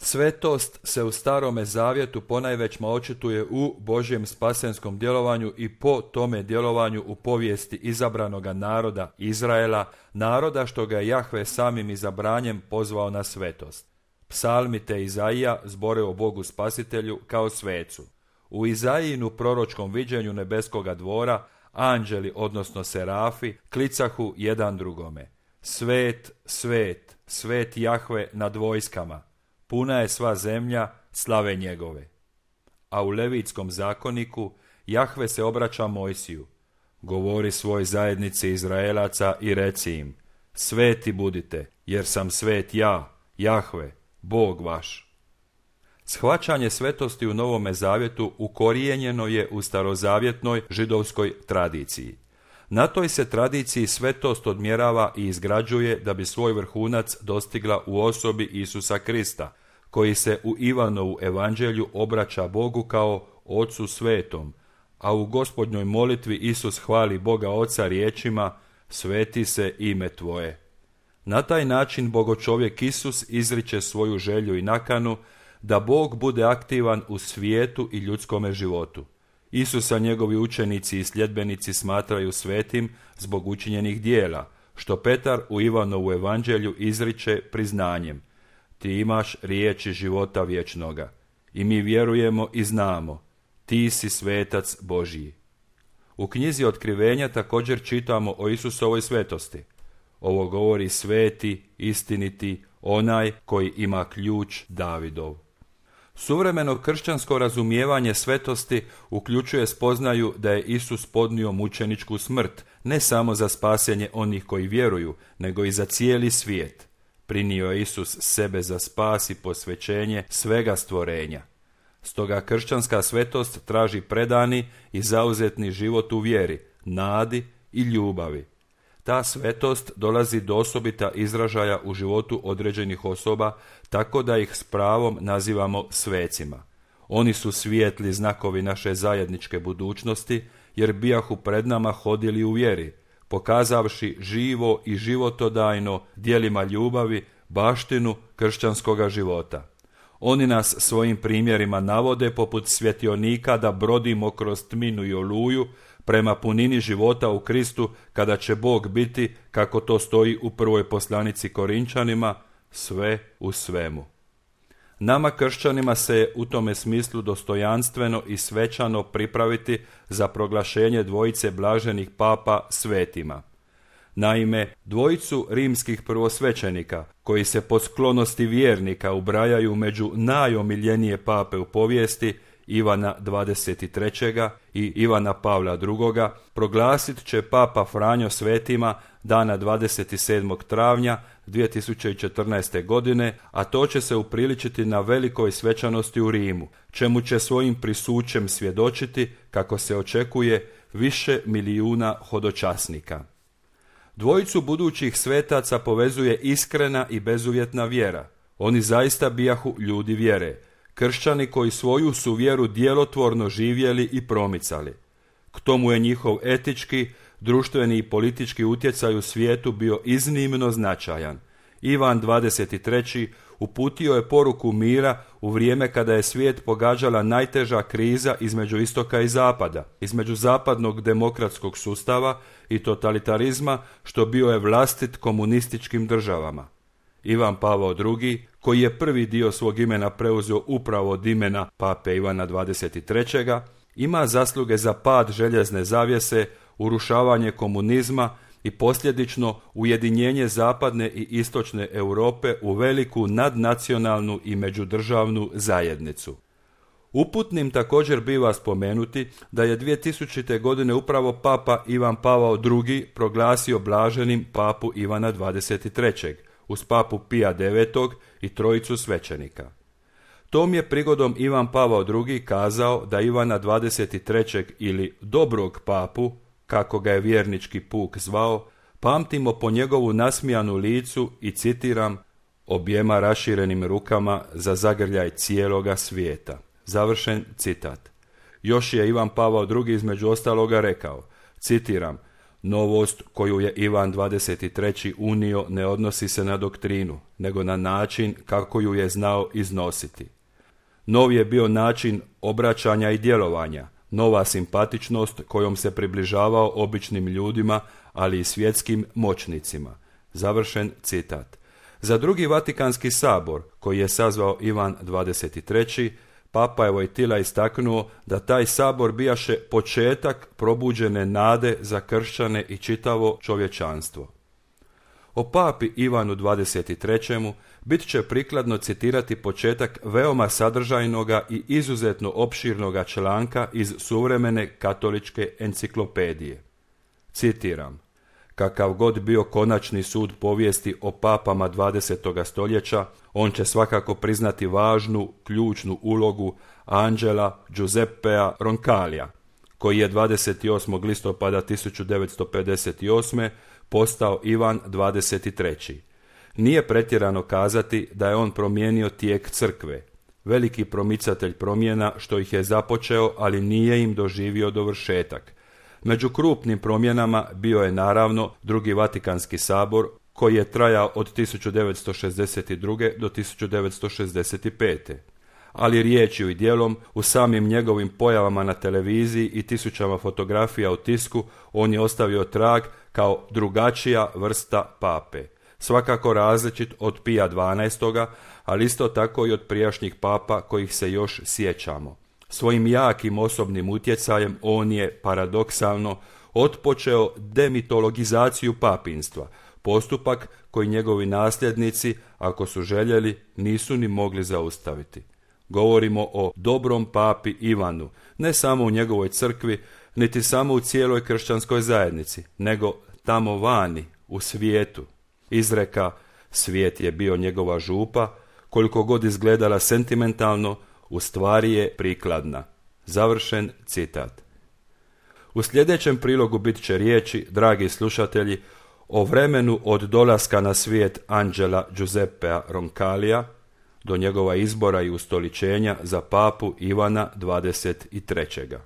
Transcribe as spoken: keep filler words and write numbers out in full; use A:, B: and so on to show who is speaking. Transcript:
A: Svetost se u Starome zavjetu ponajvećma očituje u Božjem spasenskom djelovanju i po tome djelovanju u povijesti izabranoga naroda Izraela, naroda što ga je Jahve samim izabranjem pozvao na svetost. Psalmi te Izaija zbore o Bogu spasitelju kao svecu. U Izaijinu proročkom viđenju nebeskoga dvora anđeli, odnosno serafi, klicahu jedan drugome: Svet, svet, svet Jahve nad vojskama, puna je sva zemlja slave njegove. A u Levitskom zakoniku Jahve se obraća Mojsiju: Govori svoj zajednici Izraelaca i reci im: Sveti budite, jer sam svet ja, Jahve, Bog vaš. Shvaćanje svetosti u Novome zavjetu ukorijenjeno je u starozavjetnoj židovskoj tradiciji. Na toj se tradiciji svetost odmjerava i izgrađuje da bi svoj vrhunac dostigla u osobi Isusa Krista, koji se u Ivanovu evanđelju obraća Bogu kao Ocu svetom, a u Gospodnjoj molitvi Isus hvali Boga Oca riječima: Sveti se ime tvoje. Na taj način bogočovjek Isus izriče svoju želju i nakanu da Bog bude aktivan u svijetu i ljudskome životu. Isusa njegovi učenici i sljedbenici smatraju svetim zbog učinjenih dijela, što Petar u Ivanovu evanđelju izriče priznanjem: Ti imaš riječi života vječnoga i mi vjerujemo i znamo, ti si svetac Božji. U knjizi Otkrivenja također čitamo o Isusovoj svetosti. Ovo govori sveti, istiniti, onaj koji ima ključ Davidov. Suvremeno kršćansko razumijevanje svetosti uključuje spoznaju da je Isus podnio mučeničku smrt, ne samo za spasenje onih koji vjeruju, nego i za cijeli svijet. Prinio je Isus sebe za spas i posvećenje svega stvorenja. Stoga kršćanska svetost traži predani i zauzetni život u vjeri, nadi i ljubavi. Ta svetost dolazi do osobita izražaja u životu određenih osoba, tako da ih s pravom nazivamo svecima. Oni su svijetli znakovi naše zajedničke budućnosti, jer bijahu pred nama hodili u vjeri, pokazavši živo i životodajno djelima ljubavi baštinu kršćanskoga života. Oni nas svojim primjerima navode poput svjetionika da brodimo kroz tminu i oluju prema punini života u Kristu, kada će Bog biti, kako to stoji u prvoj poslanici Korinčanima, sve u svemu. Nama kršćanima se je u tome smislu dostojanstveno i svečano pripraviti za proglašenje dvojice blaženih papa svetima. Naime, dvojicu rimskih prvosvećenika, koji se po sklonosti vjernika ubrajaju među najomiljenije pape u povijesti, Ivana dvadeset trećeg i Ivana Pavla drugoga, proglasit će papa Franjo svetima dana dvadeset sedmog travnja dvije tisuće četrnaeste. godine, a to će se upriličiti na velikoj svečanosti u Rimu, čemu će svojim prisućem svjedočiti, kako se očekuje, više milijuna hodočasnika. Dvojicu budućih svetaca povezuje iskrena i bezuvjetna vjera. Oni zaista bijahu ljudi vjere, kršćani koji svoju su vjeru djelotvorno živjeli i promicali. K tomu je njihov etički, društveni i politički utjecaj u svijetu bio iznimno značajan. Ivan dvadeset treći uputio je poruku mira u vrijeme kada je svijet pogađala najteža kriza između istoka i zapada, između zapadnog demokratskog sustava i totalitarizma, što bio je vlastit komunističkim državama. Ivan Pavao drugi, koji je prvi dio svog imena preuzeo upravo od imena pape Ivana dvadeset trećeg, ima zasluge za pad željezne zavjese, urušavanje komunizma i posljedično ujedinjenje zapadne i istočne Europe u veliku nadnacionalnu i međudržavnu zajednicu. Uputnim također biva spomenuti da je dvije tisućite. godine upravo papa Ivan Pavao drugi proglasio blaženim papu Ivana dvadeset trećeg uz papu Pija devetog i trojicu svećenika. Tom je prigodom Ivan Pavao drugi kazao da Ivana dvadeset trećeg ili dobrog papu, kako ga je vjernički puk zvao, pamtimo po njegovu nasmijanu licu i, citiram, objema raširenim rukama za zagrljaj cijeloga svijeta. Završen citat. Još je Ivan Pavao drugi između ostaloga rekao, citiram, Novost koju je Ivan dvadeset treći unio ne odnosi se na doktrinu, nego na način kako ju je znao iznositi. Nov je bio način obraćanja i djelovanja, nova simpatičnost kojom se približavao običnim ljudima, ali i svjetskim moćnicima. Završen citat. Za drugi Vatikanski sabor, koji je sazvao Ivan dvadeset treći, Papa je Vojtila istaknuo da taj sabor bijaše početak probuđene nade za kršćane i čitavo čovječanstvo. O papi Ivanu dvadeset trećem bit će prikladno citirati početak veoma sadržajnoga i izuzetno opširnoga članka iz suvremene katoličke enciklopedije. Citiram: kakav god bio konačni sud povijesti o papama dvadesetoga stoljeća, on će svakako priznati važnu, ključnu ulogu Angela Giuseppea Roncalija, koji je dvadeset osmog listopada tisuću devetsto pedeset osme postao Ivan dvadeset treći. Nije pretjerano kazati da je on promijenio tijek crkve, veliki promicatelj promjena što ih je započeo, ali nije im doživio dovršetak. Među krupnim promjenama bio je naravno drugi Vatikanski sabor, koji je trajao od tisuću devetsto šezdeset druge do tisuću devetsto šezdeset pete. Ali riječju i djelom, u samim njegovim pojavama na televiziji i tisućama fotografija u tisku, on je ostavio trag kao drugačija vrsta pape. Svakako različit od Pija dvanaestoga, ali isto tako i od prijašnjih papa kojih se još sjećamo. Svojim jakim osobnim utjecajem on je, paradoksalno, otpočeo demitologizaciju papinstva, postupak koji njegovi nasljednici, ako su željeli, nisu ni mogli zaustaviti. Govorimo o dobrom papi Ivanu, ne samo u njegovoj crkvi, niti samo u cijeloj kršćanskoj zajednici, nego tamo vani, u svijetu. Izreka "svijet je bio njegova župa", koliko god izgledala sentimentalno, u stvari je prikladna. Završen citat. U sljedećem prilogu bit će riječi, dragi slušatelji, o vremenu od dolaska na svijet Angela Giuseppea Roncalija do njegova izbora i ustoličenja za papu Ivana dvadeset trećega.